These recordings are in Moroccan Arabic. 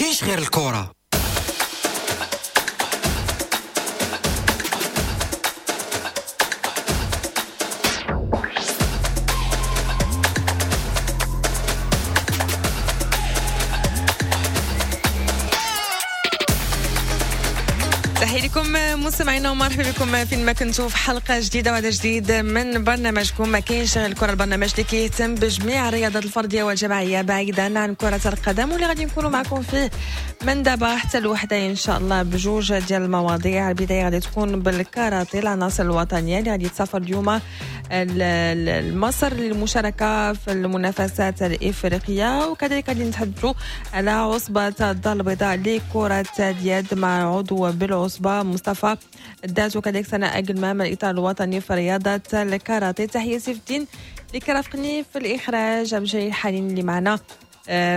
كاينش غير الكره. تحية لكم مستمعينا ومرحبا بكم فين ما كنتوا في حلقة جديدة وهذا جديد من برنامجكم ما كاينش غير الكره، البرنامج اللي كيهتم بجميع الرياضات الفردية والجماعيه بعيدا عن كره القدم، واللي غادي نكونوا معكم فيه من دابا حتى الوحدة ان شاء الله بجوج ديال المواضيع. البداية غادي تكون بالكاراتيه، العناصر الوطنية اللي غادي تسافر اليوم لمصر للمشاركة في المنافسات الافريقية، وكذلك غادي نتحدثوا على عصبه الدار البيضاء لكرة اليد مع عضو بالعصبة مصطفى الدات، وكذلك سناء أقلمام الاطار الوطني في رياضة الكاراتيه. تحية سيف الدين اللي كرافقني في الاخراج، عبد الجليل حنين اللي معنا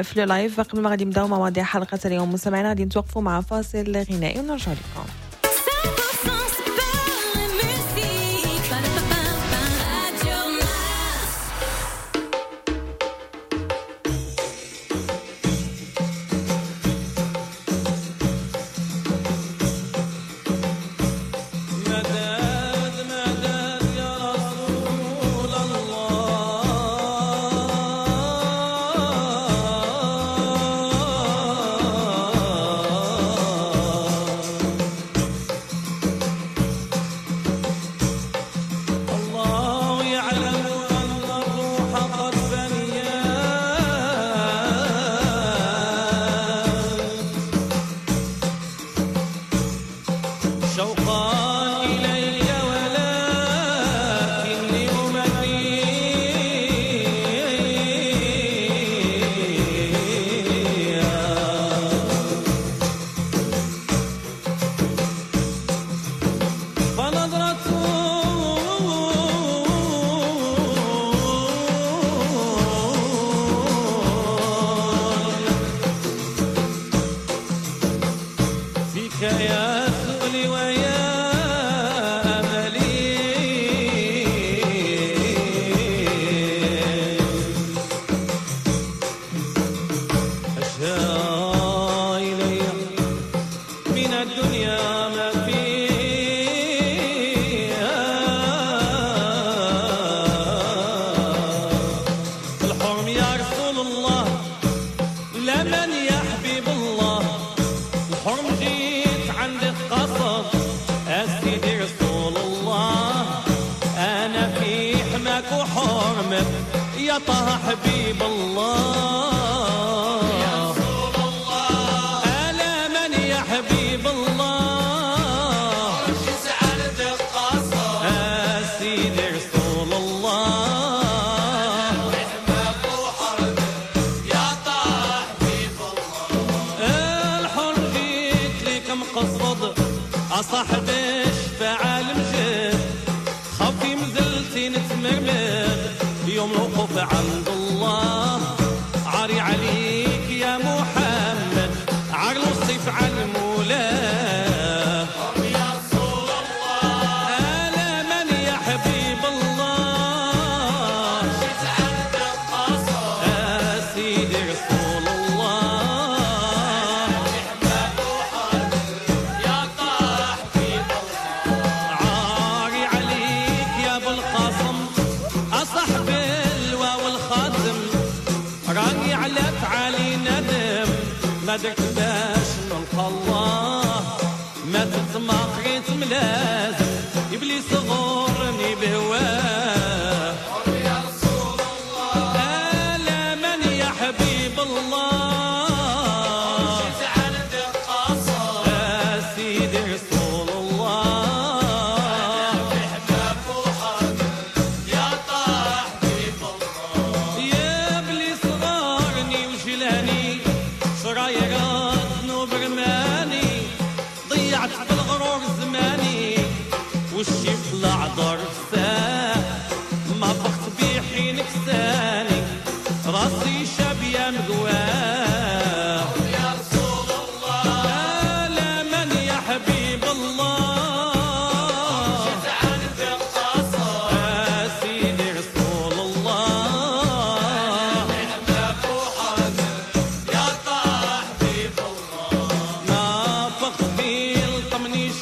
في live. قبل ما غادي نبداو مواضيع حلقة اليوم مستمعينا غادي نتوقفوا مع فاصل غنائي ونرجع لكم.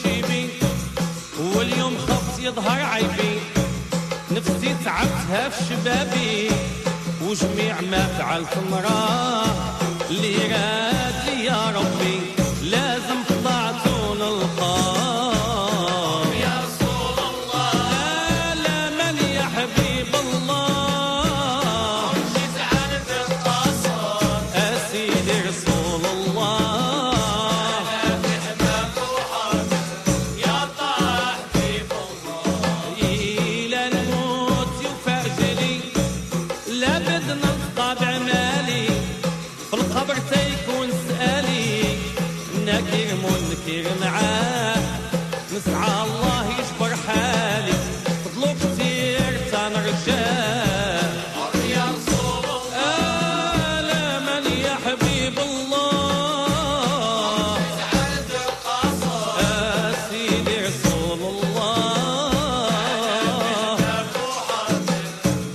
شيبي، واليوم خفت يظهر عيبي، نفسي تعبتها في شبابي، وجميع ما فعلت مراه اللي راد لي يا ربي لازم طلعت ونلقاه. يا رسول الله لا من يا حبيب الله، جيت عند القصر أسيدي رسول الله، أنا في حماك وحرمك يا طه حبيب الله. إلى الموت يفاجلي لا بدنا نلقى بعمالي، في القبر تيكون سألي نكير منكر معاه، نسعى الله يجبر حالي فضلو كتير تنرجاه. يا رسول الله لا من يا حبيب الله، عند القصر سيدي رسول الله،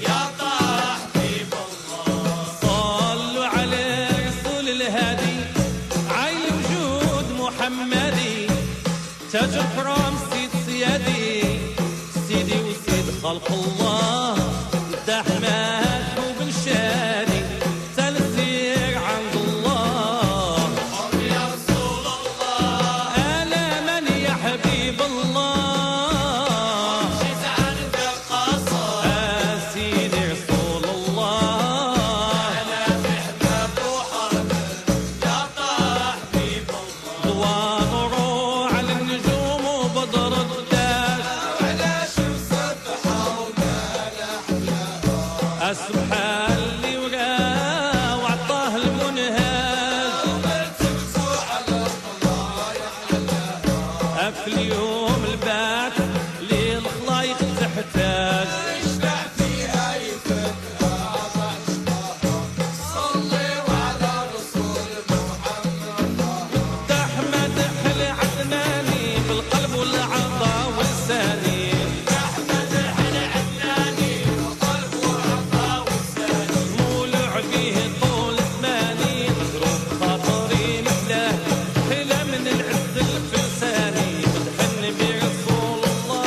يا طه حبيب الله. صلوا على رسول الهادي عين وجود محمدي، تاج الكرام سيد سيادي، سيدي وسيد خلق الله، دحمان وبن شادي تنسير عند الله. يا رسول الله أنا من يا حبيب الله، جيت عند القصر سيدي رسول الله، أنا في حباب وحرمك يا طه حبيب الله. ضوى نورو على النجوم وبدر الداش، على شمس الضحى ومال سبحان اللي وراه وعطاه المنهاج، ومرتبته على الطلايع علاها، في اليوم البعث اللي الخلايق تحتاج، يشبع فيها يفكها عطشها. صلوا على رسول محمد أحمد العدناني بالقلب والعطا والساني، أحمد العدناني بالقلب والعطا والساني، مولع به طول زماني، مضروب خاطري مثله حلا من العز الفرساني، مدح النبي رسول الله.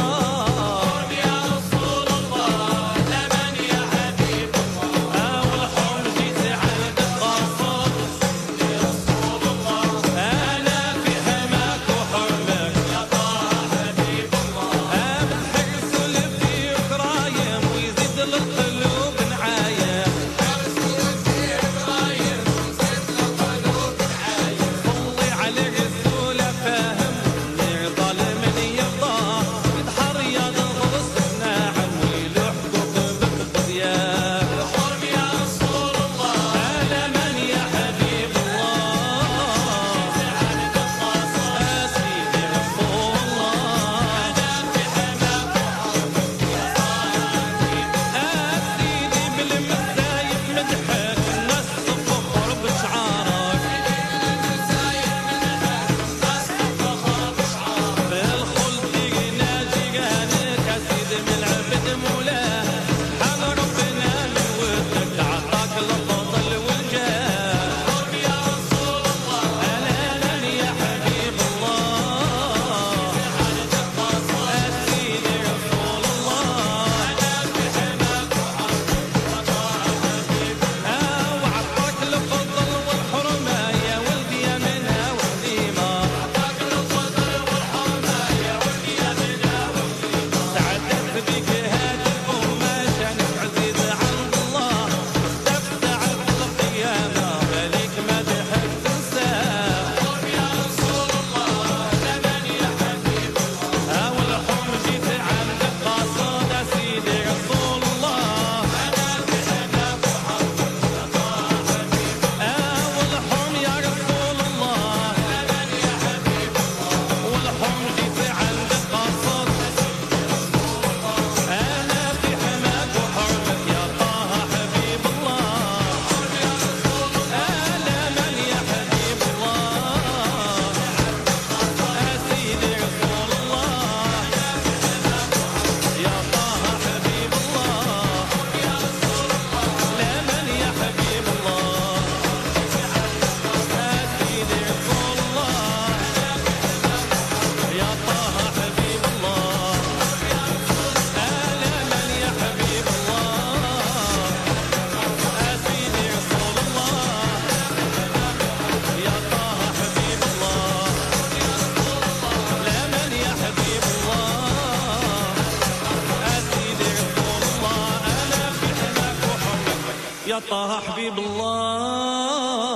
يا طه حبيب الله.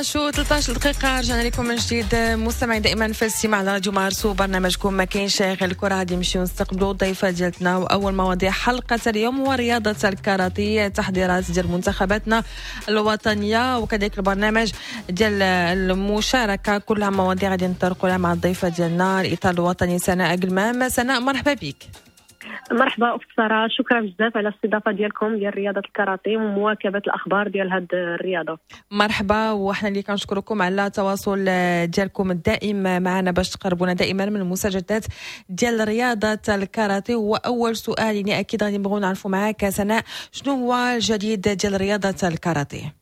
شو 13 دقيقة رجعنا لكم من جديد مستمعين دائما في الاستماع على راديو مارس وبرنامجكم ما كاينش غير الكرة. غادي نمشيو نستقبلوا الضيفة ديالتنا وأول مواضيع حلقة اليوم هو رياضة الكاراتيه، تحضيرات ديال منتخباتنا الوطنية وكذلك البرنامج ديال المشاركة، كلها مواضيع غادي نطرقوا لها مع الضيفة ديالنا الإطار الوطني سناء قلمام. سناء مرحبا بك. مرحبا اخت ساره، شكرا بزاف على الاستضافة ديالكم ديال رياضة الكاراتيه ومواكبه الاخبار ديال هذه الرياضة. مرحبا، وحنا اللي كنشكركم على التواصل ديالكم الدائم معنا باش تقربونا دائما من المستجدات ديال رياضة الكاراتيه. واول سؤال يعني اكيد غادي نبغيو نعرفوا معاك سناء، شنو هو الجديد ديال رياضة الكاراتيه؟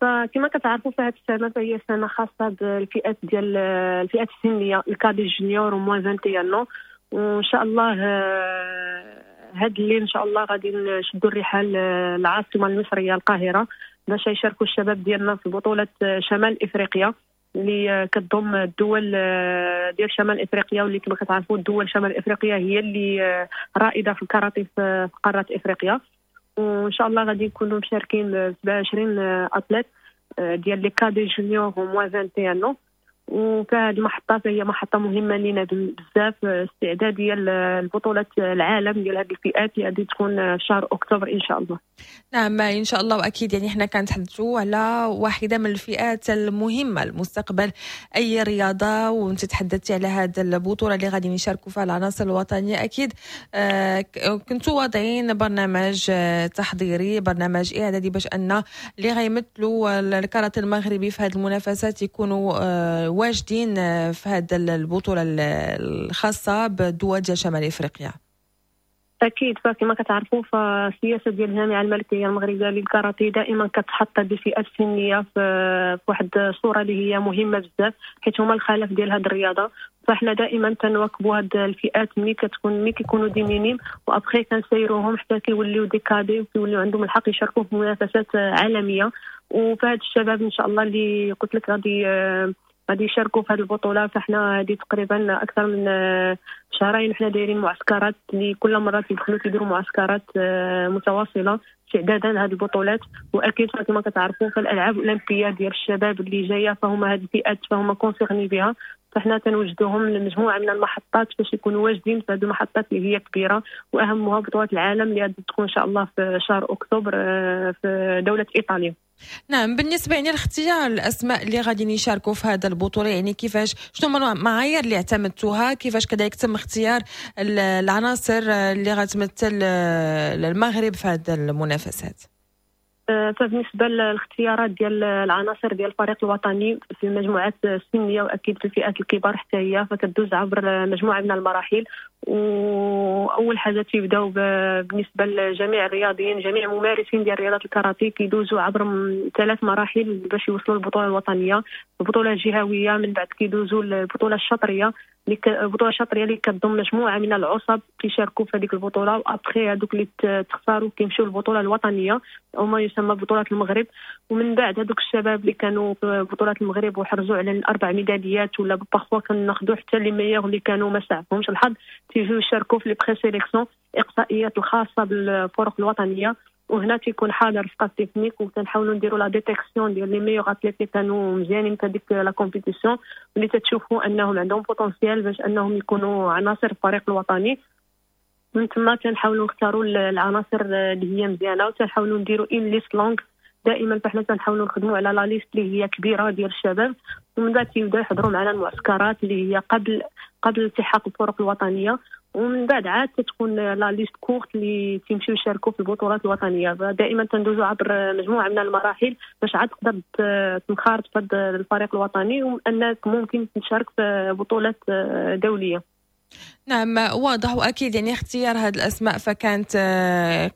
فكما كتعرفوا فهاد السنة فهي سنة خاصة بالفئات ديال الفئات السنية ال cadets juniors و moins 21، وان شاء الله هاد الليل ان شاء الله غادي نشدوا الرحال العاصمة المصرية القاهرة باش يشاركوا الشباب ديالنا في بطوله شمال افريقيا اللي كتضم الدول ديال شمال افريقيا، واللي كما كتعرفوا الدول شمال افريقيا هي اللي رائدة في الكاراتيه في قارة افريقيا. وان شاء الله غادي نكونوا مشاركين 27 athlètes ديال les cadets juniors و moins 21. وكهذه المحطة فهي محطة مهمة لينا بزاف، استعدادية لبطولة العالم ديال هذه الفئات اللي غادي تكون في شهر أكتوبر إن شاء الله. نعم إن شاء الله، وأكيد يعني احنا كنتحدثوا على واحدة من الفئات المهمة لمستقبل أي رياضة، وانت تحدثتي على هذه البطولة اللي غادي يشاركوا فيها العناصر الوطنية. أكيد كنتوا واضعين برنامج تحضيري، برنامج إعدادي باش أن اللي غيمثلوا الكاراتيه المغربي في هذه المنافسات يكونوا واجدين في هذه البطولة الخاصة بالدول ديال شمال إفريقيا. أكيد، فكما كتعرفوا فالسياسة ديال الجامعة الملكية المغربية للكاراتيه دائما كتحط هذه الفئات السنية في واحد الصورة اللي هي مهمة بزاف، حيت هما الخلف ديال هذه الرياضة. فاحنا دائما تنواكبوا هاد الفئات ملي كيكونوا des minimes، و après كنسيروهم حتى كيوليو des cadets وكيوليو عندهم الحق يشاركوا في منافسات عالمية. وفهاد الشباب إن شاء الله اللي قلت لك غادي يشاركوا في هذه البطولة، فاحنا هذه تقريبا اكثر من شهرين حنا دايرين معسكرات اللي كل مرة كيدخلوا كيديروا معسكرات متواصلة استعدادا لهذه البطولات. واكيد كما كتعرفوا فالالعاب الاولمبية ديال الشباب اللي جاية فهما هذه الفئات فهما concernés بها، فاحنا تنوجدوهم لمجموعة من المحطات باش يكونوا واجدين في هذه المحطات اللي هي كبيرة، واهمها بطوله العالم اللي غادي تكون ان شاء الله في شهر اكتوبر في دولة ايطاليا. نعم، بالنسبة يعني لاختيار الاسماء اللي غادي يشاركوا في هذا البطولة، يعني كيفاش، شنو هما المعايير اللي اعتمدتوها، كيفاش كذلك تم اختيار العناصر اللي غتمثل المغرب في هذه المنافسات؟ فبالنسبه للاختيارات ديال العناصر ديال الفريق الوطني في المجموعات السنية واكيد في الفئات الكبار حتى هي، فكدوز عبر مجموعة من المراحل. واول حاجة تيبداو بالنسبة لجميع الرياضيين، جميع الممارسين ديال رياضة الكاراتيه كيدوزوا عبر 3 مراحل باش يوصلوا للبطولة الوطنية، البطولة الجهوية، من بعد كيدوزوا للبطولة الشطريه، البطولة الشطريه اللي كتضم مجموعة من العصب كيشاركوا في هذيك البطولة، وابخي هذوك اللي تختاروا كيمشيو للبطولة الوطنية او ما يسمى بطوله المغرب. ومن بعد هذوك الشباب اللي كانوا في بطوله المغرب وحرزوا على 4 ميداليات ولا parfois كناخذوا حتى les meilleurs اللي كانوا ما سعفهمش الحظ، تيجيو يشاركوا في les présélections، اقصائيات الخاصة بالفرق الوطنية. وهنا تيكون حاضر staff technique وتنحاولوا نديروا la détection ديال les meilleurs athlètes اللي كانوا مزيانين في هذيك la compétition، واللي تتشوفوا انهم عندهم potentiel باش انهم يكونوا عناصر الفريق الوطني. من تما تنحاولوا نختاروا العناصر اللي هي مزيانه، وتنحاولوا نديروا une liste longue دائما. فحنا تنحاولوا نخدموا على la liste اللي هي كبيرة ديال الشباب، ومن بعد تيبداو يحضروا معنا المعسكرات اللي هي قبل التحاق الفرق الوطنية، ومن بعد عاد تكون la liste courte اللي تيمشيو يشاركوا في البطولات الوطنية. دائما تندوزوا عبر مجموعة من المراحل باش عاد تقدر تنخرط في الفريق الوطني وانك ممكن تشارك في بطولات دولية. نعم، واضح، واكيد يعني اختيار هذه الاسماء فكانت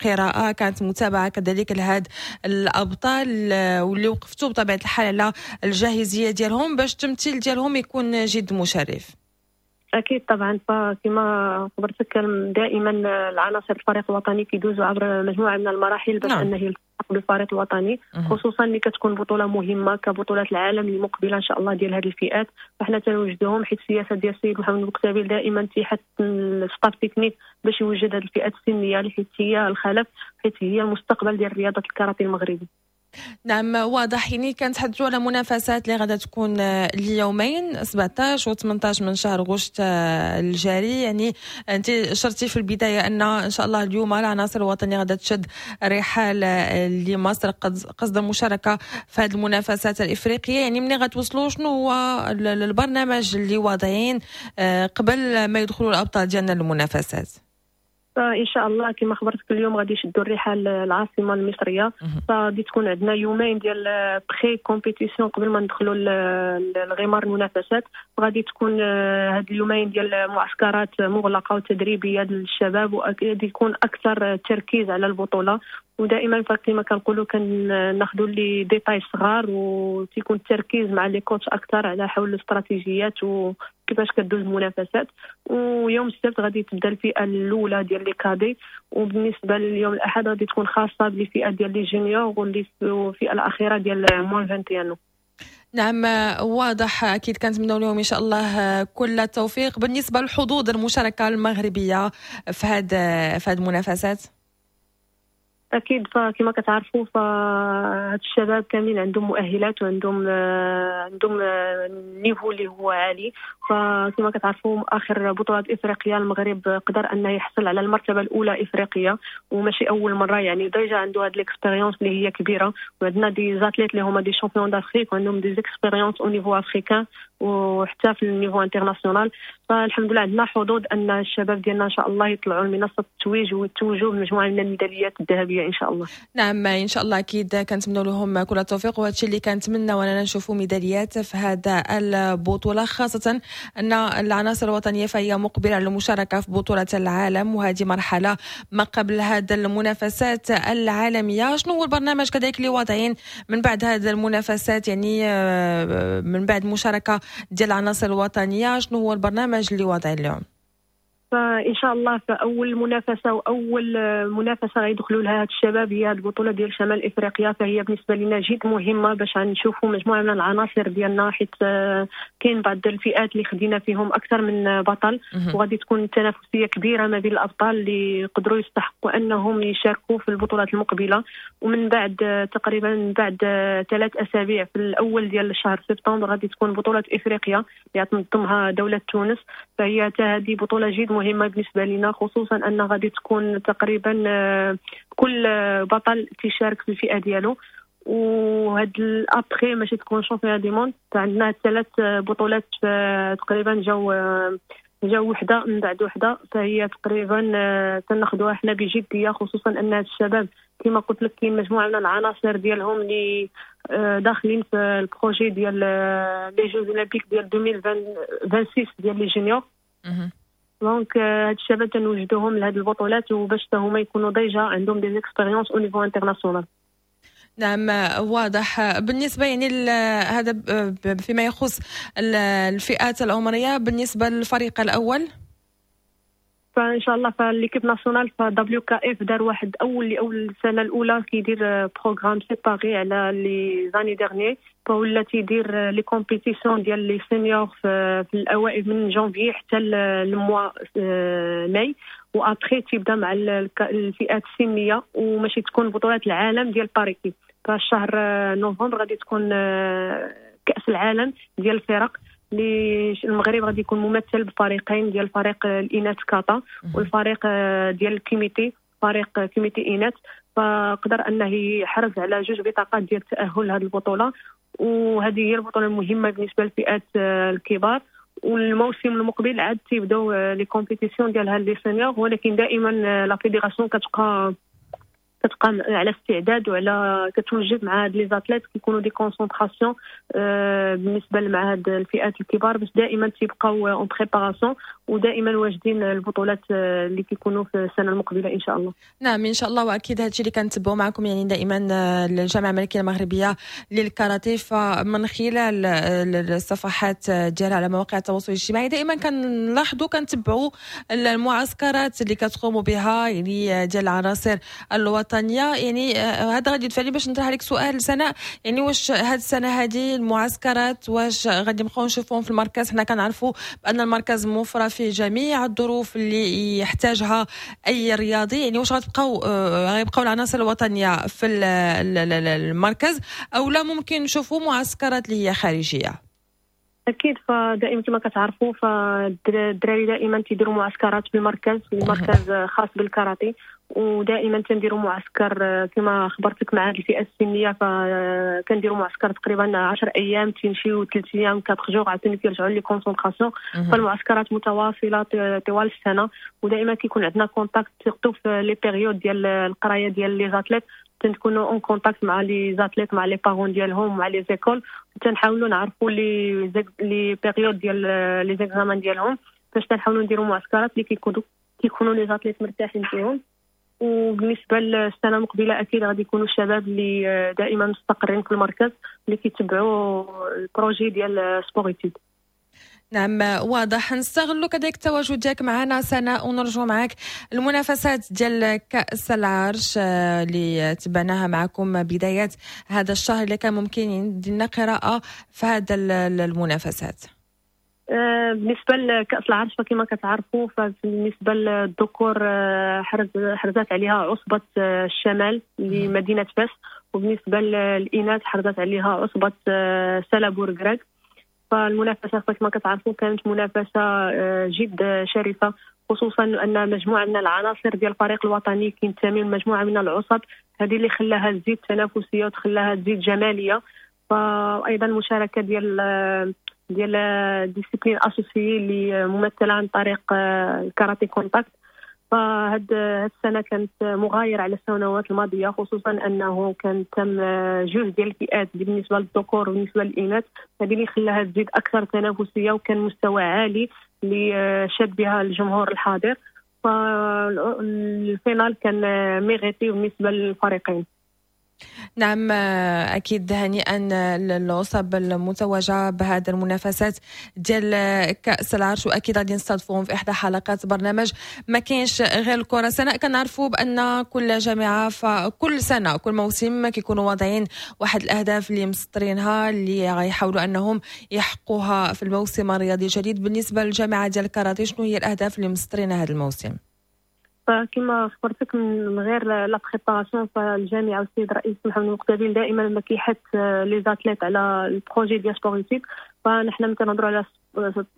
قراءه، كانت متابعه كذلك لهاد الابطال واللي وقفتوا بطبيعة الحال على الجاهزيه ديالهم باش التمثيل ديالهم يكون جد مشرف. اكيد طبعا، فكما خبرتك دائما العناصر الفريق الوطني كيدوزوا عبر مجموعة من المراحل باش انه يلتحق بالفريق الوطني، خصوصا ملي كتكون بطوله مهمة كبطولات العالم المقبلة ان شاء الله ديال هذه الفئات. فحنا تنوجدوهم حيت السياسة ديال السيد محمد بوكتابيل دائما تيحث ال staff technique باش يوجد هذه الفئات السنية اللي حيت هي الخلف، حيت هي المستقبل ديال رياضة الكاراتيه المغربي. نعم، واضح. يعني كنتحدثوا على منافسات اللي غادا تكون اليومين 17 و 18 من شهر غشت الجاري. يعني انت شرتي في البداية ان ان شاء الله اليوم العناصر الوطنية غادا تشد رحال لمصر قصد المشاركة في هذه المنافسات الافريقيه. يعني ملي غتوصلوا، شنو هو البرنامج اللي واضعين قبل ما يدخلوا الابطال ديالنا للمنافسات؟ فان شاء الله كما خبرتك اليوم غادي يشدوا الرحال العاصمة المصريه، فغادي تكون عندنا يومين ديال pré-compétition قبل ما ندخلوا الغمار المنافسات. غادي تكون هاد اليومين ديال معسكرات مغلقة وتدريبيه للشباب، وغادي يكون اكثر تركيز على البطوله. ودائما كما كنقولوا كناخذوا les détails صغار، وتيكون التركيز مع les coachs اكثر على حول الاستراتيجيات وكيفاش كدوز المنافسات. ويوم السبت غادي تبدا الفئة الاولى ديال les cadets، وبالنسبة لليوم الاحد غادي تكون خاصة بالفئه ديال les juniors والفئة الاخيرة ديال moins 21. نعم، واضح. اكيد كنتمنوا لهم ان شاء الله كل التوفيق. بالنسبة للحظوظ المشاركة المغربية في هذه المنافسات؟ اكيد، فكما كتعرفوا فهاد الشباب كاملين عندهم مؤهلات وعندهم عندهم niveau اللي هو عالي. فكما كتعرفوا اخر بطولات افريقيا المغرب قدر انه يحصل على المرتبة الاولى افريقيا، وماشي اول مره، يعني déjà عنده هاد l'expérience اللي هي كبيره. وعندنا des athlètes اللي هما des champions d'Afrique وعندهم des expériences au niveau africain وحتى في ال niveau international. فالحمد لله عندنا حظوظ ان الشباب ديالنا ان شاء الله يطلعوا لمنصه التتويج ويتوجوا بمجموعه من الميداليات الذهبية ان شاء الله. نعم، ان شاء الله، اكيد كنتمنوا لهم كل التوفيق، وهذا الشيء اللي كنتمنى اننا نشوفوا ميداليات في هذا البطوله، خاصة ان العناصر الوطنية فهي مقبله على المشاركة في بطوله العالم، وهذه مرحلة ما قبل هذا المنافسات العالميه. شنو هو البرنامج كذلك اللي واضعين من بعد هذه المنافسات؟ يعني من بعد المشاركة ديال العناصر الوطنيه، شنو هو البرنامج اللي واضعين اليوم؟ فان شاء الله فاول منافسه واول منافسه غيدخلوا لها هاد الشباب هي البطولة ديال شمال افريقيا، فهي بالنسبة لنا جد مهمة باش نشوفوا مجموعة من العناصر ديالنا، حيت كاين بعض الفئات اللي خدينا فيهم اكثر من بطل، وغادي تكون تنافسية كبيرة ما بين الابطال اللي يقدروا يستحقوا انهم يشاركوا في البطولات المقبله. ومن بعد تقريبا بعد 3 اسابيع في الاول ديال شهر سبتمبر غادي تكون بطوله افريقيا اللي تنظمها دولة تونس، فهي هذه بطوله جد مهمة بالنسبة لنا، خصوصا ان غادي تكون تقريبا كل بطل تيشارك في الفئة ديالو. وهاد après ماشي تكون championnat du monde، عندنا ثلاث بطولات تقريبا جاو وحده من بعد وحده، فهي تقريبا تناخذوها حنا بجديه، خصوصا ان الشباب كما قلت لك كاين مجموعة من العناصر ديالهم اللي داخلين في ال projet ديال les Jeux olympiques ديال 2026 ديال les juniors. donc هاد الشباب تنوجدوهم لهاد البطولات وباش هما يكونوا déjà عندهم des expériences au niveau international. نعم، واضح. بالنسبة يعني هذا فيما يخص الفئات العمرية، بالنسبة للفريق الأول؟ فان شاء الله ف l'équipe nationale ف WKF دار واحد اول السنة الاولى كيدير programme séparé على les années dernières، فولا تيدير les compétitions ديال les seniors في الاوائل من جانفي حتى ال mois mai، و après تيبدا مع الفئات السنيه، وماشي تكون بطولات العالم ديال par équipe. فالشهر نوفمبر غادي تكون كاس العالم ديال الفرق اللي المغرب غادي يكون ممثل بفريقين، ديال فريق الاناث كاتا والفريق ديال الكيميتي، فريق كيميتي اناث. فقدر انه يحرز على جوج بطاقات ديال التاهل لهذه البطوله، وهذه هي البطولة المهمة بالنسبة للفئات الكبار. والموسم المقبل عاد تيبداو les compétitions ديال هاد les seniors، ولكن دائما la fédération كتبقى كتبقى على استعداد وعلى كتوجد مع هاد les athlètes، كيكونوا des concentrations بالنسبة مع هاد الفئات الكبار باش دائما تيبقاو en préparation ودائما واجدين البطولات اللي كيكونوا في السنة المقبلة ان شاء الله. نعم ان شاء الله، واكيد هذا الشيء اللي كنتبعوا معكم يعني دائما الجامعة الملكية المغربية للكاراتيه، فمن خلال الصفحات ديالها على مواقع التواصل الاجتماعي دائما كنلاحظوا كنتبعوا المعسكرات اللي كتقوموا بها يعني ديال العناصر الوطنيه. يعني هذا غادي يدفعني باش نطرح عليك سؤال سناء، يعني واش هذه السنة هذه المعسكرات واش غادي نبقاو نشوفوهم في المركز؟ حنا كنعرفوا بان المركز موفره فيه جميع الظروف اللي يحتاجها اي رياضي، يعني واش غيبقاو العناصر الوطنية في المركز او لا ممكن نشوفوا معسكرات اللي هي خارجية؟ اكيد، فدائما كما كتعرفوا فالدراري دائما تيديروا معسكرات في المركز، المركز خاص بالكاراتيه، ودائما تنديروا معسكر كما خبرتك مع هذه الفئة السنيه، فكنديروا معسكر تقريبا 10 ايام، تيمشيو 3 ايام 4 jours عاوتاني كيرجعوا les concentrations. فالمعسكرات متواصلة طوال السنه، ودائما كيكون عندنا contact surtout في les périodes ديال القراية ديال les athlètes، تنكونوا en contact مع les athlètes، مع les parents ديالهم، مع les écoles، تنحاولوا نعرفوا les périodes ديال les examens ديالهم باش تنحاولوا نديروا معسكرات اللي كيكونوا les athlètes مرتاحين فيهم. وبالنسبة للسنة المقبلة اكيد غادي يكونوا الشباب اللي دائما مستقرين في المركز اللي كيتبعوا ال projet ديال sport-études. نعم واضح. نستغلوا كذلك التواجد ديالك معنا سناء ونرجو معك المنافسات ديال كأس العرش اللي تبعناها معكم بدايات هذا الشهر، اللي كان ممكن ندير قراءة في هذا المنافسات. بالنسبة لكاس العرش فكما كتعرفوا فبالنسبه للذكور حرزت عليها عصبه الشمال لمدينة فاس، وبالنسبة للاناث حرزت عليها عصبه سلا بورقراق. فالمنافسه كما كتعرفوا كانت منافسه جد شرسه، خصوصا ان مجموعة من العناصر ديال الفريق الوطني كينتمي لمجموعة من العصب، هذه اللي خلاها تزيد تنافسية وتخلاها تزيد جماليه. فايضا المشاركة ديال disciplines associées اللي ممثلة عن طريق الكاراتي contact، فهاد السنة كانت مغايرة على السنوات الماضيه، خصوصا انه كان تم جوج ديال الفئات بالنسبة للذكور وبالنسبة للاناث، هذه اللي خلاها تزيد اكثر تنافسية وكان مستوى عالي اللي شاد بها الجمهور الحاضر. فال finale كان mérité بالنسبة للفريقين. نعم اكيد، هنيئا للعصب المتوجه بهذه المنافسات ديال كاس العرش، واكيد غادي نستضيفوهم في احدى حلقات برنامج ما كاينش غير الكره. سناء، كنعرفوا بان كل جامعه فكل سنة كل موسم كيكونوا واضعين واحد الاهداف اللي مسطرينها اللي غيحاولوا انهم يحققوها في الموسم الرياضي الجديد. بالنسبة للجامعة ديال الكاراتيه، شنو هي الاهداف اللي مسطرينها هذا الموسم؟ فكما خبرتك من غير la préparation، فالجامعه والسيد الرئيس محمد المقتدي دائما ما كيحث les athlètes على ال projet ديال sport-études. فنحن ملي كنهضروا على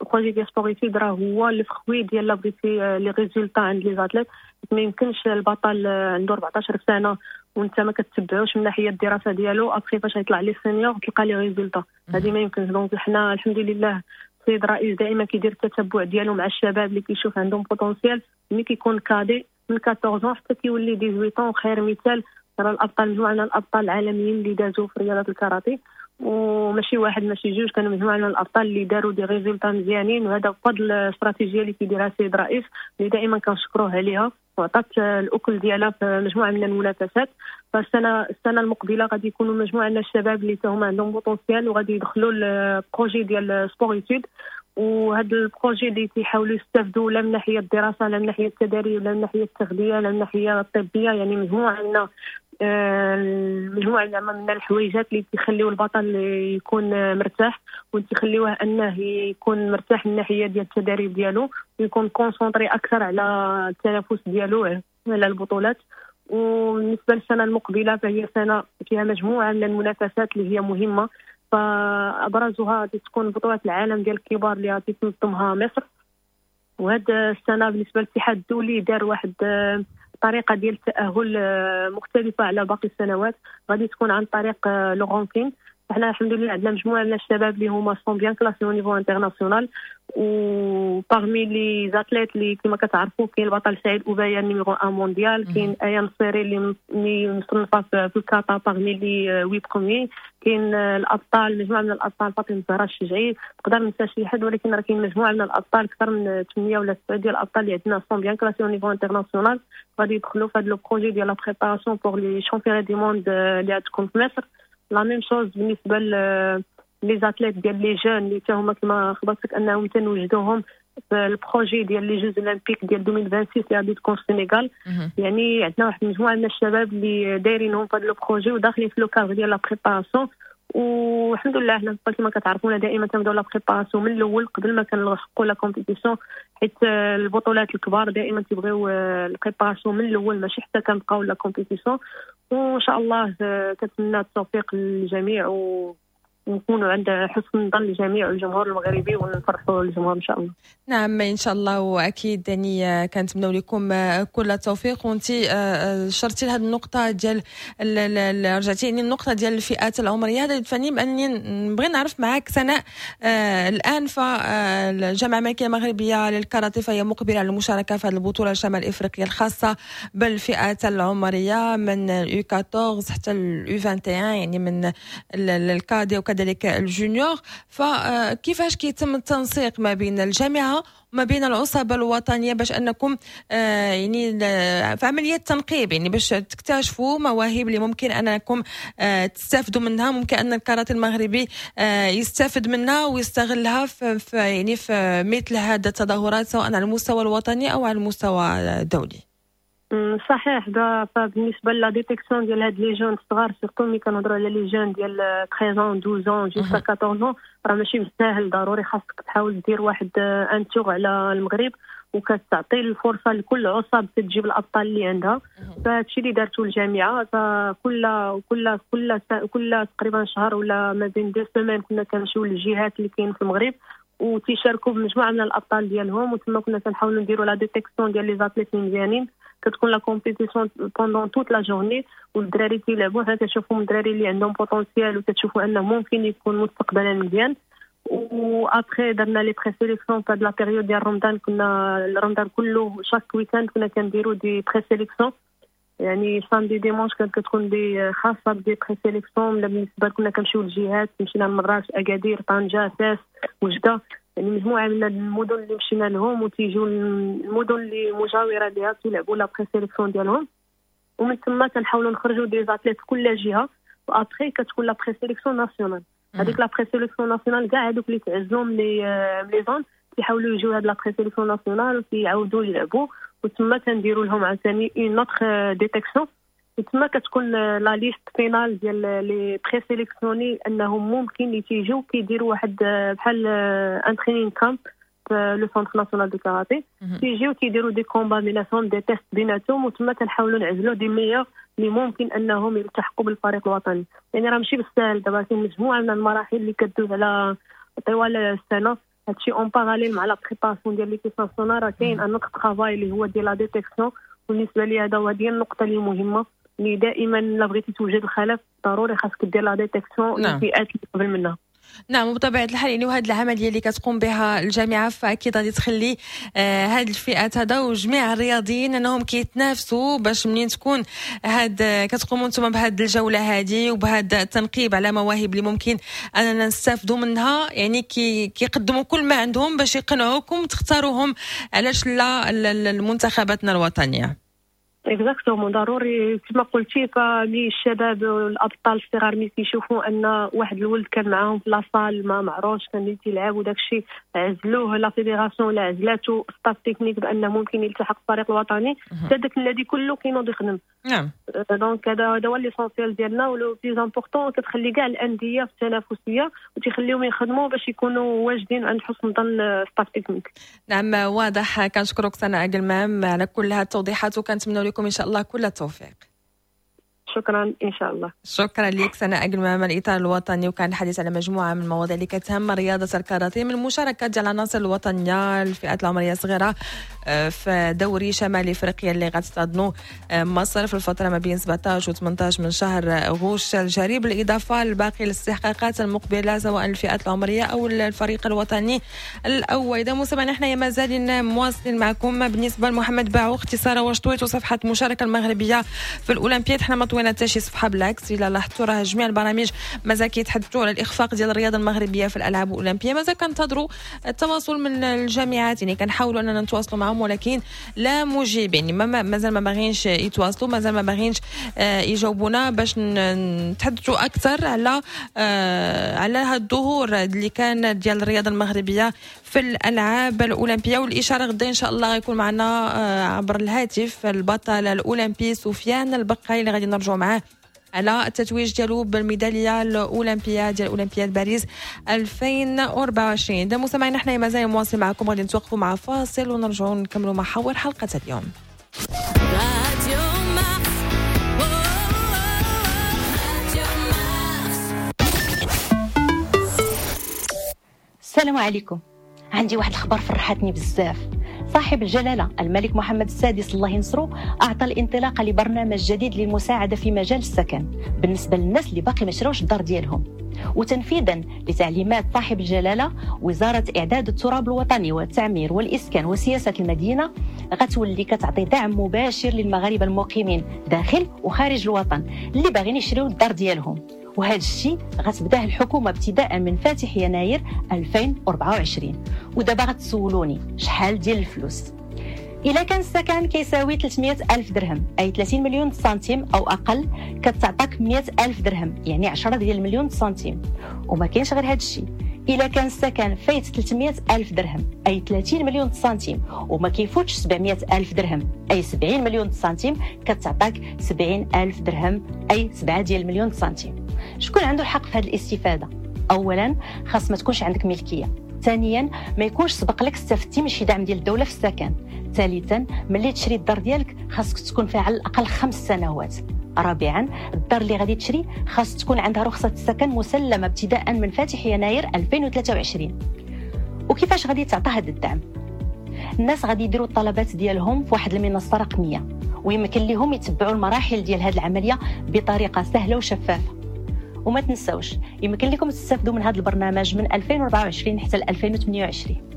projet ديال sport-études راه هو le fruit ديال لا بغيتي les résultats عند les athlètes. ما يمكنش البطل عنده 14 سنة وانت ما كتبعوش من ناحية الدراسة ديالو، après فاش يطلع les seniors تلقى les résultats، هذه ما يمكنش. donc حنا الحمد لله السيد الرئيس دائما كيدير التتبع ديالو مع الشباب اللي كيشوف عندهم potentiel ملي كيكون cadet من 14 حتى كيولي 18. خير مثال ترى الابطال، مجموعة من الابطال العالميين اللي دازوا في رياضة الكاراتيه، وماشي واحد ماشي جوج، كانوا مجموعة من الابطال اللي داروا des résultats مزيانين، وهذا بفضل الاستراتيجية اللي كيديرها السيد الرئيس اللي دائما كنشكروه عليها وعطات الاكل ديالها في مجموعة من المنافسات. فالسنه المقبلة غادي يكونوا مجموعة من الشباب اللي هما عندهم potentiel وغادي يدخلوا ال projet ديال sport-études، وهذا ال projet اللي تيحاولوا يستافدوا لا من ناحية الدراسه، لا من ناحية التدريب، لا من ناحية التغذيه، لا من ناحية الطبيه، يعني مجموعة زعما من الحويجات اللي تيخليو البطل يكون مرتاح وتخليوه انه يكون مرتاح من الناحية ديال التدريب ديالو ويكون concentré اكثر على التنافس ديالو على البطولات. وبالنسبة للسنة المقبلة فهي سنة فيها مجموعة من المنافسات اللي هي مهمه، فابرزها غادي تكون بطوله العالم ديال الكبار اللي غادي تنظمها مصر. وهذا السنة بالنسبة للاتحاد الدولي دار واحد طريقه ديال التاهل مختلفة على باقي السنوات، غادي تكون عن طريق le ranking. حنا الحمد لله عندنا مجموعة من الشباب اللي هما sont bien classés au niveau international، و parmi les athlètes اللي كما كتعرفوا كاين البطل سعيد اوبايا numéro 1 مونديال، كاين ايا نصيري اللي مصنفه في الكاتا parmi les 8 premiers، كاين الابطال، مجموعة من الابطال، فاطمة الزهراء الشجعي، نقدر ننسى شي حد ولكن راه كاين مجموعة من الابطال، اكثر من 8 ولا 9 ديال الابطال اللي عندنا sont bien classés au niveau international، غادي يدخلوا في هذا le projet ديال la préparation pour les championnats du monde اللي غتكون في مصر. la même chose بالنسبة les athlètes ديال les jeunes اللي حتى هما كما خبرتك انهم تنوجدوهم في ال projet ديال les Jeux olympiques ديال 2026 اللي غادي تكون في السنغال. يعني عندنا واحد المجموعة من الشباب اللي دايرينهم في هذا le projet وداخلين في le cadre ديال la préparation. والحمد لله حنا كما كتعرفونا دائما تنبداو la préparation من الاول قبل ما كنلحقوا la compétition، حيت البطولات الكبار دائما تيبغيو ال préparation من الاول، ماشي حتى كنبقاو la compétition. وان شاء الله كنتمنى التوفيق للجميع ونكونوا عند حسن ظن الجميع والجمهور المغربي ونفرحوا الجمهور ان شاء الله. نعم ان شاء الله، واكيد يعني كنتمنوا لكم كل التوفيق. وانت شرتي لهذه النقطة ديال، رجعتي يعني النقطة ديال الفئات العمريه، هذا يدفعني بانني نبغي نعرف معك سناء، الان فالجامعه الملكية المغربية للكاراتيه فهي مقبله على المشاركة في هذه البطولة الشمال الافريقية الخاصة بالفئات العمرية من ال U 14 حتى ال U 21، يعني من ال cadets وكذلك ال juniors. فكيفاش كيتم التنسيق ما بين الجامعة وما بين العصبة الوطنية باش انكم يعني في عملية تنقيب، يعني باش تكتشفوا مواهب اللي ممكن انكم تستافدوا منها، ممكن ان الكاراتيه المغربي يستافد منها ويستغلها في يعني في مثل هذه التظاهرات، سواء على المستوى الوطني او على المستوى الدولي؟ صحيح. فبالنسبه la détection ديال هاد les jeunes الصغار، surtout ملي كنهضروا على les jeunes ديال 13، 12 jusqu'à 14، راه ماشي بالساهل. ضروري خاصك تحاول دير واحد un tour على المغرب وكتعطي الفرصة لكل عصب تجيب الابطال اللي عندها. فهادشي اللي دارته الجامعه، فكل كل كل كل تقريبا شهر ولا ما بين 2 semaines كنا كنمشيو للجهات اللي كاين في المغرب وتيشاركوا بمجموعه من الابطال ديالهم، وتما كنا كنحاولوا نديروا la détection ديال les athlètes مزيانين. كتكون la compétition pendant toute la journée والدراري تيلعبوا، حنا كنشوفوا الدراري اللي عندهم potentiel وتشوفوا انه ممكن يكون مستقبلا مزيان. و après درنا les présélections في هاد la période ديال رمضان، كنا رمضان كله chaque week-end كنا كنديروا des présélections، يعني samedi dimanche كانت كتكون des خاصة ب des présélections. بالنسبة كنا كنمشيو للجهات، مشينا لمراكش، اكادير، طنجه، فاس، وجده، يعني مجموعة من المدن اللي مشينا لهم، وتيجيو المدن اللي مجاوره لها تيلعبوا la présélection ديالهم، ومن ثم كنحاولوا نخرجوا des athlètes في كل جهه. و après كتكون la présélection nationale، هذيك la présélection nationale كاع هذوك اللي تعزلوا من les zones تيحاولوا يجيو هاد la présélection nationale وتيعاودوا يلعبوا، وتما كنديروا لهم عاوتاني une autre détection، وتما كتكون la liste finale ديال les présélectionnés انهم ممكن تيجيو كيديروا واحد بحال un training camp في le centre national de karaté. تيجيو تيديروا des combats بيناتهم، des tests بيناتهم، وتما كنحاولوا نعزلوا des meilleurs اللي ممكن انهم يلتحقوا بالفريق الوطني. يعني راه ماشي بالساهل، دابا كاين مجموعة من المراحل اللي كدوز على طوال السنه. هادشي en parallèle مع la préparation ديال l'équipe nationale، راه كاين un autre travail اللي هو ديال la détection. بالنسبة لي هذا هو هذه النقطة اللي مهمه، اللي دائما لا بغيتي توجد الخلف ضروري خاصك دير la détection للفئات اللي قبل منها. نعم، وبطبيعة الحال يعني وهذه العملية اللي كتقوم بها الجامعة فاكيد غادي تخلي هذه الفئات هذا وجميع الرياضيين انهم كيتنافسوا، باش منين تكون هاد كتقوموا انتم بهذه الجولة هذه وبهذا التنقيب على مواهب اللي ممكن اننا نستافدوا منها، يعني كيقدموا كل ما عندهم باش يقنعوكم تختاروهم، علاش لا، المنتخباتنا الوطنيه. exactement، ضروري كما قلتي. فمي الشباب والابطال الصغار ملي كيشوفوا ان واحد الولد كان معاهم في la salle ما معروفش، كان تيلعب وداك الشيء، عزلوه la fédération ولا عزلاتو staff technique بان ممكن يلتحق بالفريق الوطني، حتى داك النادي كله كينوض يخدم. Donc هذا هو l'essentiel ديالنا و le plus important، كتخلي كاع الاندية في التنافسية وتخليهم يخدموا باش يكونوا واجدين عند حسن ظن staff technique. نعم واضح. كنشكرك سناء قلمام على كل هذه التوضيحات وكنتمنى لكم ان شاء الله كل التوفيق. شكرا ان شاء الله. شكرا لك سناء أكلمام، الاطار الوطني، وكان الحديث على مجموعة من المواضيع اللي كتهم رياضة الكاراتيه، من المشاركة ديال العناصر الوطنية الفئات العمرية الصغيرة في دوري شمال افريقيا اللي غتستضنوا مصر في الفترة ما بين 17 و 18 من شهر غشت الجاري، بالاضافة لباقي الاستحقاقات المقبلة سواء الفئات العمرية او الفريق الوطني الاول. اذا مستمعينا حنايا مازالين مواصلين معكم. بالنسبة لمحمد باعو، اختصارا واش طويتوا صفحة المشاركة المغربية في الاولمبياد؟ حنا ما طوينا حتى شي صفحة، بالعكس الا لاحظتوا راه جميع البرامج مازال كيتحدثوا على الاخفاق ديال الرياضة المغربية في الالعاب الاولمبية. مازال كنتظروا التواصل من الجامعات، يعني كنحاولوا اننا نتواصلوا معهم ولكن لا مجيب، يعني مازال ما باغينش يتواصلوا، مازال ما باغينش يجاوبونا باش نتحدثوا اكثر على هذا الظهور اللي كان ديال الرياضة المغربية في الالعاب الاولمبية. والاشارة غدا ان شاء الله غيكون معنا عبر الهاتف البطل الاولمبي سفيان البقاي اللي غادي نرجعوا معاه على التتويج ديالو بالميداليه الاولمبية ديال اولمبياد باريس 2024. اذا مستمعينا حنا مازال مواصل معكم، غادي نتوقفوا مع فاصل ونرجعوا نكملوا محاور حلقة اليوم. السلام عليكم. عندي واحد الخبر فرحتني بزاف. صاحب الجلالة الملك محمد السادس الله ينصرو أعطى الانطلاقة لبرنامج جديد للمساعدة في مجال السكن بالنسبة للناس اللي باقي ما شراوش الدار ديالهم. وتنفيذا لتعليمات صاحب الجلالة، وزارة إعداد التراب الوطني والتعمير والإسكان وسياسة المدينة غتولي كتعطي دعم مباشر للمغاربة المقيمين داخل وخارج الوطن اللي باغيين يشريو الدار ديالهم. وهذا الشيء غتبداه الحكومة ابتداء من فاتح يناير 2024. ودابا غتسولوني شحال ديال الفلوس؟ إلا كان السكن كيساوي 300 ألف درهم أي 30 مليون سنتيم أو أقل، كتعطاك 100 ألف درهم يعني 10 ديال المليون سنتيم. وما كاينش غير هذا الشيء، إلا كان السكن فايت 300 ألف درهم أي 30 مليون سنتيم وما كيفوتش 700 ألف درهم أي 70 مليون سنتيم، كتعطاك 70 ألف درهم أي 7 ديال المليون سنتيم. شكون عنده الحق في هذه الاستفادة؟ أولا خاص ما تكونش عندك ملكية، ثانيا ما يكونش سبق لك استفدتي من شي دعم ديال الدولة في السكن، ثالثا ملي تشري الدار ديالك خاصك تكون فيها على الأقل 5 سنوات، رابعا الدار اللي غادي تشري خاص تكون عندها رخصة السكن مسلمة ابتداء من فاتح يناير 2023. وكيفاش غادي تعطى هذا الدعم؟ الناس غادي يديروا الطلبات ديالهم في واحد المنصة رقمية، ويمكن لهم يتبعوا المراحل ديال هذه العملية بطريقة سهلة وشفافة. وما تنسوش يمكن لكم تستافدوا من هذا البرنامج من 2024 حتى 2028.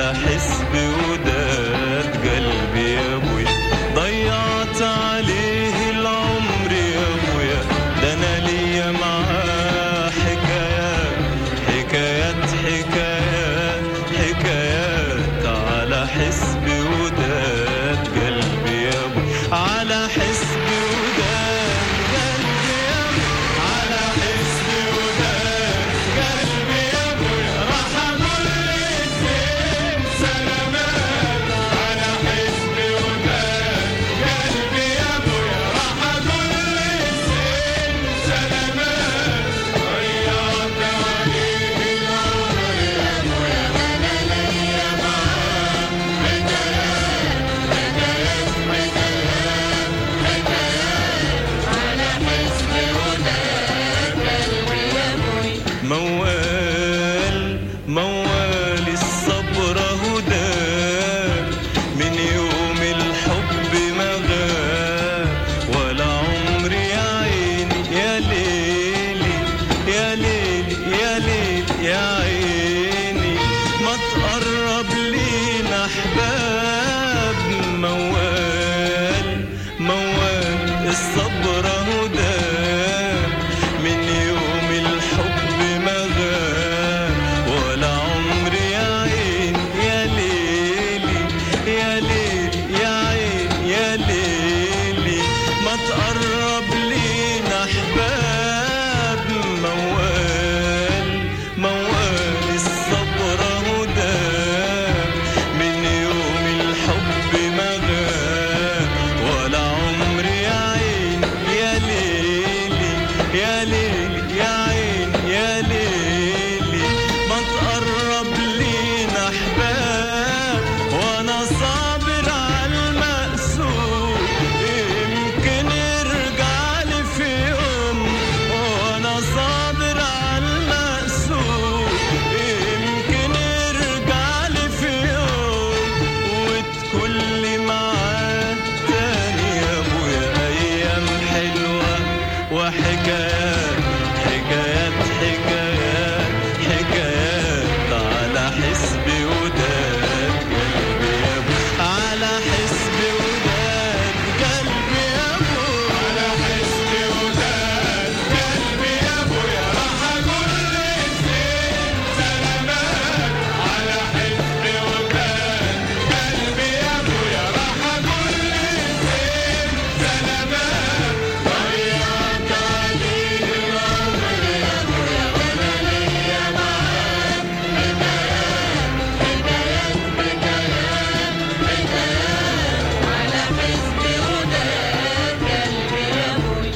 على حسب وداد قلبي يا ابويا، ضيعت عليه العمر يا ابويا، ده انا ليا معاه حكايات حكايات حكايات حكايات، على حسب وداد قلبي يا ابويا، على حسب وداد قلبي يا ابويا، على حسب وداد قلبي يا ابويا، راح اقول للزين سلامات، على حسب وداد قلبي يا ابويا، راح اقول للزين سلامات، ضيعت عليه العمر يا ابويا، انا ليا معاه حكايات حكايات حكايات حكايات، على حسب وداد قلبي يا ابويا. موال موال الصبر هداه، من يوم الحب ما غاب، ولا عمري يا عيني يا ليلي يا ليلي يا ليلي يا عيني ما تقرب لينا احباب. موال موال الصبر هداه، من يوم الحب ما غاب، ولا عمري يا عيني يا ليلي يا ليلي يا عيني يا ليلي ما تقرب لينا احباب. موال موال الصبر هداه، من يوم الحب ما غاب، ولا عمري يا عيني يا ليلي يا ليلي يا عيني يا ليلي ما تقرب لينا احباب. وانا صابر على المقسوم، يمكن يرجع لي في يوم، وانا صابر على المقسوم، يمكن يرجع لي في يوم، وتكون لي معاه تاني يا ابويا ايام حلوة وحكايات حكايات حكايات حكايات، على حسب وداد قلبي يا ابويا، على حسب وداد قلبي يا ابويا، على حسب وداد قلبي يا ابويا، راح اقول للزين سلامات، على حسب وداد قلبي يا ابويا، راح اقول للزين سلامات، ضيعت عليه العمر يا ابويا، وانا ليا معاه حكايات حكايات حكايات حكايات، على حسب وداد قلبي يا ابويا.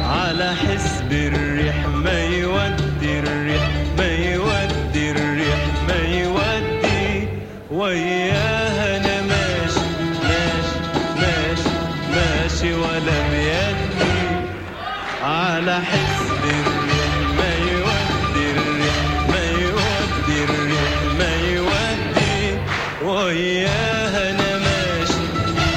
على حسب الريح ما يودي الريح ما يودي الريح ما يودي، وياها انا ماشي ماشي ماشي ماشي ولا بيدي، على حسب الريح ما يودي الريح ما يودي الريح ما يودي، وياها انا ماشي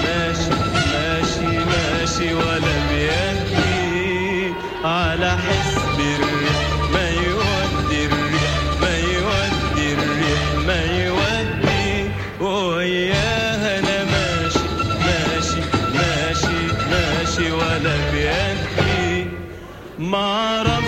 ماشي ماشي ماشي ولا بيدي، على حسب الريح ما يودي الريح ما يودي الريح ما يودي، وياها انا ماشي ماشي ماشي ماشي ولا بيدي. ما عرفش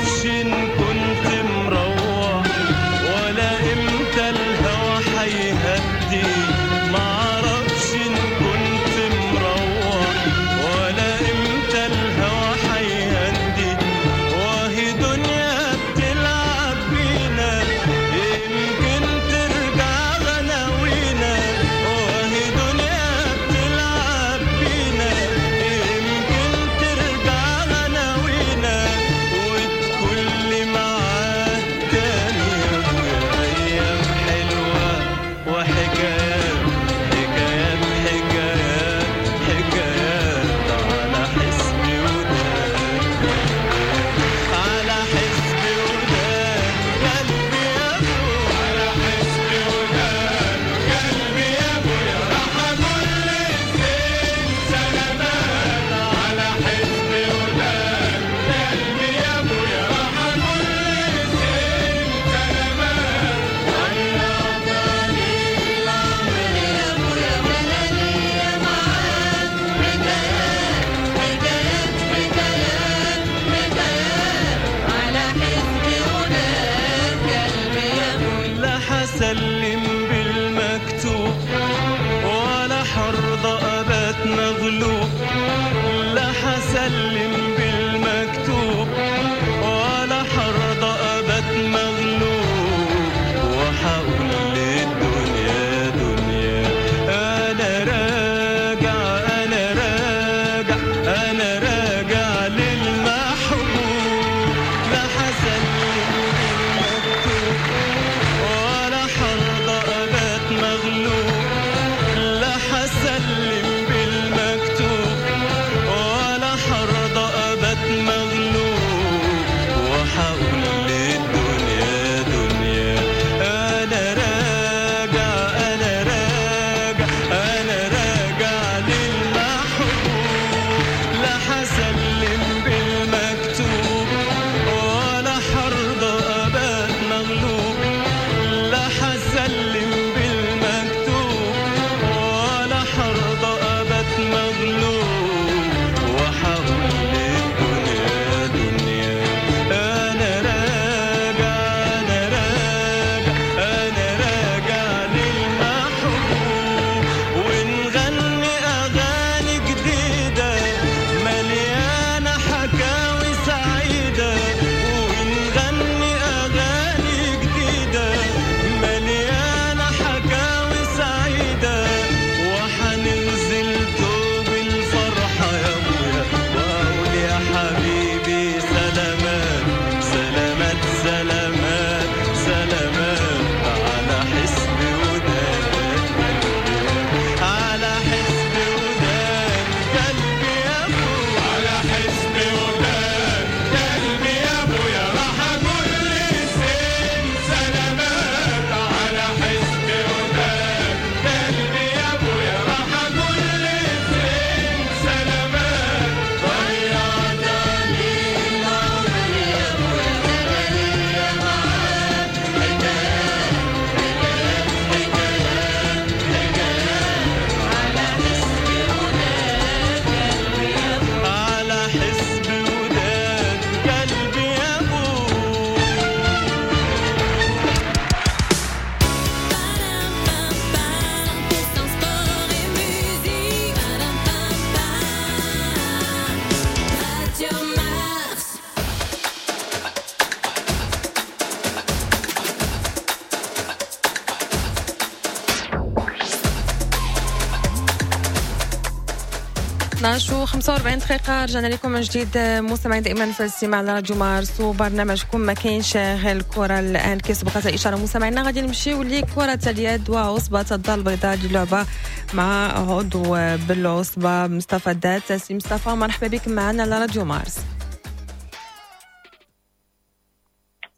12:45 دقيقة، رجعنا لكم من جديد مستمعين دائما في الاستماع على راديو مارس وبرنامجكم ما كاينش غير الكرة. الآن كيسبقت الإشارة مستمعينا، غادي نمشيو لكرة اليد وعصبة الدار البيضاء للعبة مع عضو بالعصبة مصطفى دات. سي مصطفى مرحبا بك معنا على راديو مارس.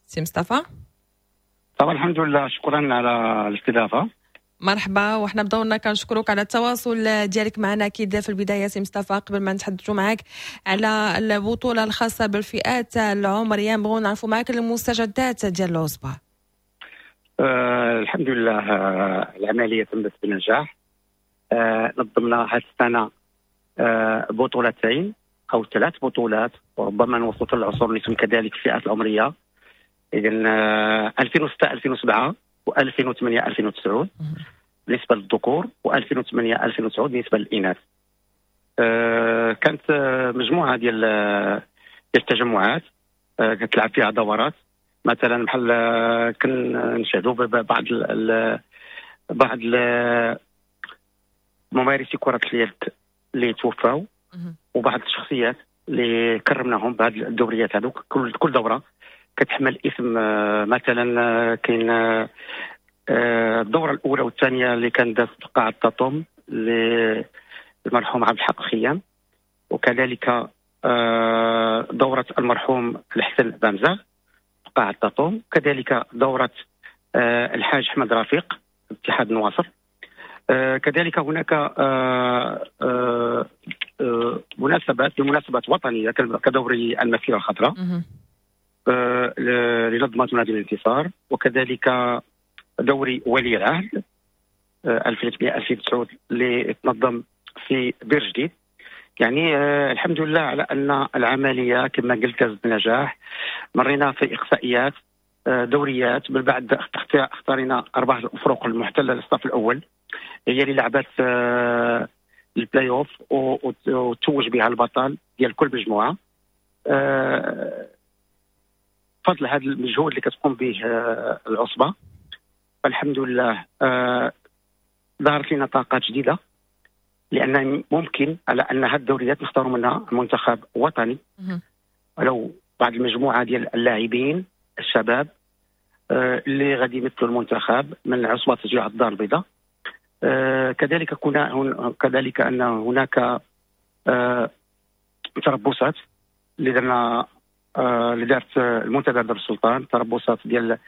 سي مصطفى. طبعا الحمد لله، شكرا على الاستضافة. مرحبا، وحنا بدورنا كنشكرك على التواصل ديالك معنا. اكيد في البداية سي مصطفى، قبل ما نتحدثوا معك على البطولة الخاصة بالفئات العمرية، نبغوا نعرفوا معك المستجدات ديال العصبة. الحمد لله، العملية تمت بنجاح. نظمنا هذه السنة بطولتين او ثلاث بطولات، وربما نوصلوا العصور اللي كذلك الفئات العمرية. اذا 2006 2007 و2008 2009 بالنسبة للذكور، و2008 2009 بالنسبة للاناث. كانت مجموعة ديال التجمعات كتلعب فيها دورات، مثلا بحال كنشاهدوا بعض ممارسي كره اليد اللي توفاو، وبعض الشخصيات اللي كرمناهم بهذه الدوريات هذوك. كل دوره كتحمل اسم، مثلا كاين الدورة الاولى والثانية اللي كان داز في قاعة تاتوم للمرحوم عبد الحق خيام، وكذلك دوره المرحوم الحسن بامزاغ في قاعة تاتوم، كذلك دوره الحاج احمد رفيق اتحاد النواصر. كذلك هناك مناسبات بمناسبات وطنية كدوري المسيرة الخضراء لنظمة نادي الانتصار، وكذلك دوري ولي العهد 2008 2009 اللي تنظم في بير جديد. يعني الحمد لله على ان العملية كما قلت بنجاح. مرينا في اقصائيات، دوريات، من بعد اختارينا اربع الفرق المحتلة للصف الاول هي اللي لعبت البلاي اوف وتوج بها البطل ديال كل مجموعة. فضل هذا المجهود اللي كتقوم به العصبة، فالحمد لله ظهرت لنا طاقات جديدة، لان ممكن على ان هذه الدوريات نختاروا منها منتخب وطني ولو بعض المجموعة ديال اللاعبين الشباب اللي غادي يمثلوا المنتخب من عصبه تشجيع الدار البيضاء. كذلك كنا كذلك ان هناك تربصات اللي درنا، اللي دارت المنتدى دار السلطان، تربصات ديال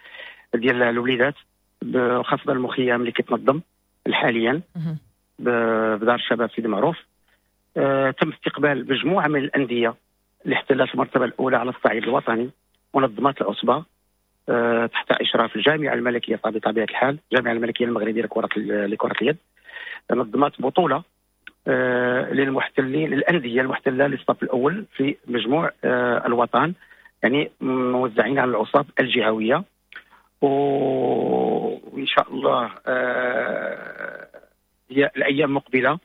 الوليدات، خاصة المخيم اللي كيتنظم حاليا بدار الشباب سيدي معروف. تم استقبال مجموعة من الاندية اللي احتلت المرتبة الاولى على الصعيد الوطني ونظمت العصبة تحت اشراف الجامعة الملكية بطبيعة الحال، الجامعة الملكية المغربية لكرة اليد. نظمت بطوله للمحتلين، للاندية المحتلة للصف الاول في مجموع الوطن، يعني موزعين على العصب الجهوية. وان شاء الله هي الايام المقبلة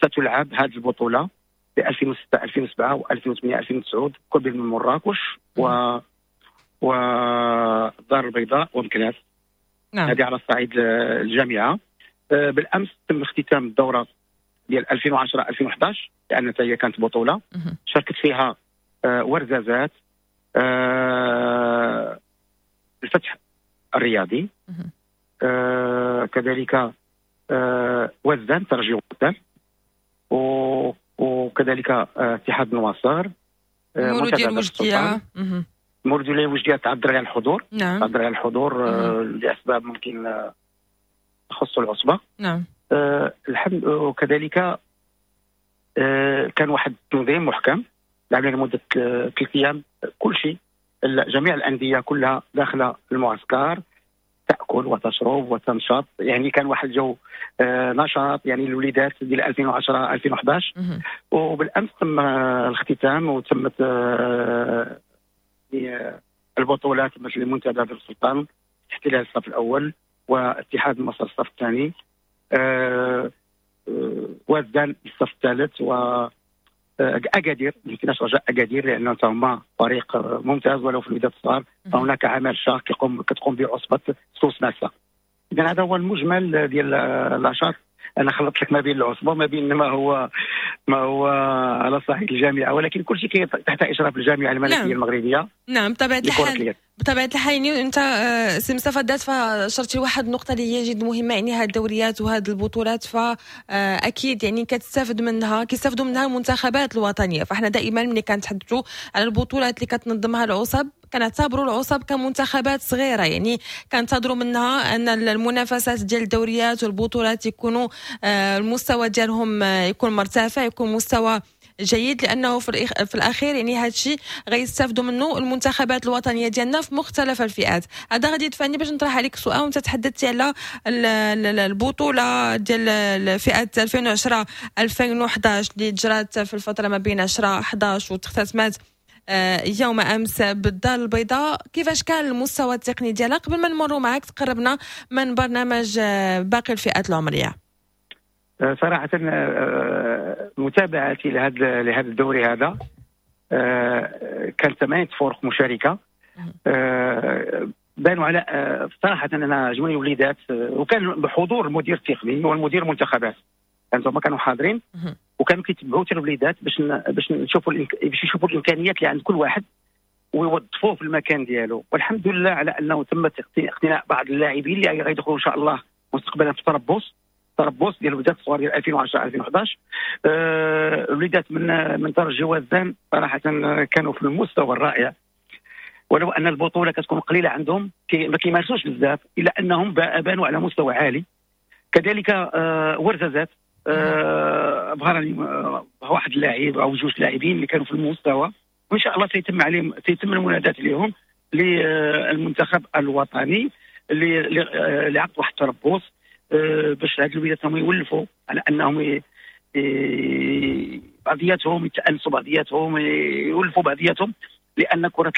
ستلعب هذه البطولة ب 2006 2007 و2008 2009 كل من مراكش والدار البيضاء ومكناس. نعم. هذه على الصعيد الجامعة. بالامس تم اختتام الدورة ديال 2010 2011، لان هي كانت بطوله شاركت فيها ورزازات، الفتح الرياضي، كذلك وزان ترجي وزان، وكذلك اتحاد النواصر، مولودية الوجدية. مولودية الوجدية تعذر على الحضور. نعم. تعذر على الحضور لاسباب ممكن تخص العصبة. نعم. الحمد. وكذلك كان واحد التنظيم محكم لعبنا لمدة 3 ايام، كل شيء، جميع الاندية كلها داخله المعسكر، تاكل وتشرب وتنشط، يعني كان واحد الجو نشاط، يعني الوليدات ديال 2010 2011. وبالامس تم الاختتام وتمت البطولات مثل المنتدى دار السلطان احتلال الصف الاول، واتحاد مصر الصف الثاني، وزان الصف الثالث، و اكادير. ما يمكنناش رجاء اكادير لانه هما فريق ممتاز ولو في الوداد الصغار، فهناك عمل شاق كتقوم به عصبه سوس ماسا. اذا هذا هو المجمل ديال النشاط. انا خلطت لك ما بين العصبة وما بين ما هو ما هو على صعيد الجامعة، ولكن كل شيء تحت اشراف الجامعة الملكية المغربية. نعم، بطبيعة الحال، بطبيعة الحال. يعني انت سي مصطفى دات فشرتي واحد النقطة اللي هي جد مهمه، يعني هذه الدوريات وهذه البطولات فاكيد يعني كتستافد منها، كيستافدوا منها المنتخبات الوطنيه. فاحنا دائما ملي كنتحدثوا على البطولات اللي كتنظمها العصب كنعتبروا العصب كمنتخبات صغيره، يعني كنتظروا منها ان المنافسات ديال الدوريات والبطولات يكونوا المستوى ديالهم يكون مرتفع، يكون مستوى جيد، لانه في الاخير يعني هذا الشيء غيستافدوا منه المنتخبات الوطنية ديالنا في مختلف الفئات. هذا غادي يدفعني باش نطرح عليك سؤال، وانت تحدثتي على البطولة ديال فئة 2010 2011 اللي جرات في الفترة ما بين 10 11 وتختتمات يوم امس بالدار البيضاء. كيفاش كان المستوى التقني ديالها؟ قبل ما نمروا معك تقربنا من برنامج باقي الفئات العمريه. صراحة متابعتي لهذا الدوري هذا، كان ثمانية فرق مشاركة، بانوا على صراحة أنا عجبوني وليدات، وكان بحضور المدير التقني والمدير المنتخبات، كانوا هما كانوا حاضرين وكانوا كيتبعوا حتى الوليدات باش يشوفوا الامكانيات اللي عند كل واحد ويوظفوه في المكان ديالو. والحمد لله على انه تم اقتناء بعض اللاعبين اللي غيدخلوا ان شاء الله مستقبلا في التربص ديال الوليدات الصغار ديال 2010 2011. الوليدات من ترجي وزان صراحة كانوا في المستوى الرائع، ولو ان البطولة كتكون قليله عندهم، ما كيمارسوش بزاف، الا انهم بانوا على مستوى عالي. كذلك ورزازات ابهرني واحد اللاعب او جوج لاعبين اللي كانوا في المستوى، وان شاء الله سيتم المناداه لهم للمنتخب الوطني لعقد واحد التربص باش هاد الوليدات هم يولفوا على انهم بعضياتهم يتانسوا بعضياتهم، يولفوا بعضياتهم، لان كره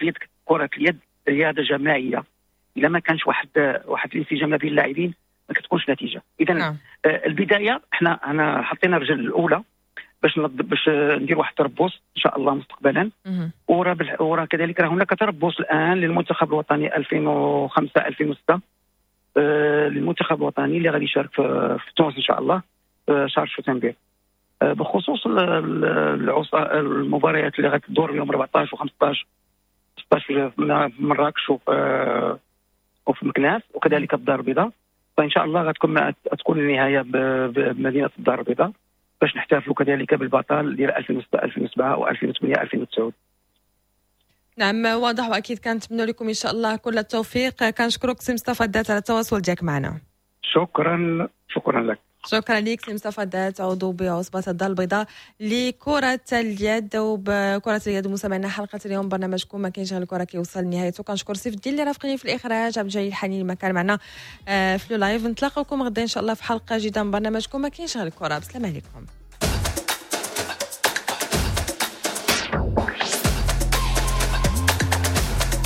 اليد رياضة جماعيه، اذا ما كانش واحد الانسجام ما بين اللاعبين ما كتكونش نتيجه. اذا البداية احنا انا حطينا الرجل الاولى باش ندير واحد التربص ان شاء الله مستقبلا. وراه كذلك راه هناك تربص الان للمنتخب الوطني 2005 2006، للمنتخب الوطني اللي غادي يشارك في تونس ان شاء الله شهر شتنبر. بخصوص المباريات اللي غتدور يوم 14 و15 16 في مراكش وفي مكناس وكذلك الدار البيضاء، فان شاء الله تكون النهاية بمدينة الدار البيضاء باش نحتفلوا كذلك بالبطل ديال 2006 2007 و2008 2009. نعم، واضح، واكيد كنتمنى لكم ان شاء الله كل التوفيق. كنشكرك سي مصطفى دات على التواصل ديالك معنا. شكرا، شكرا لك. شكرا لك سي مصطفى دات، عضو بعصبة الدار البيضاء لكرة اليد. وبكرة اليد مستمعينا حلقة اليوم برنامجكم ما كاينش غير الكرة كيوصل لنهايته. كنشكر سيف الدين اللي رافقني في الإخراج، عبد الجليل حنين ما كان معنا في live. نتلاقاكم غدا إن شاء الله في حلقة جديدة من برنامجكم ما كاينش غير الكرة. بسلام عليكم.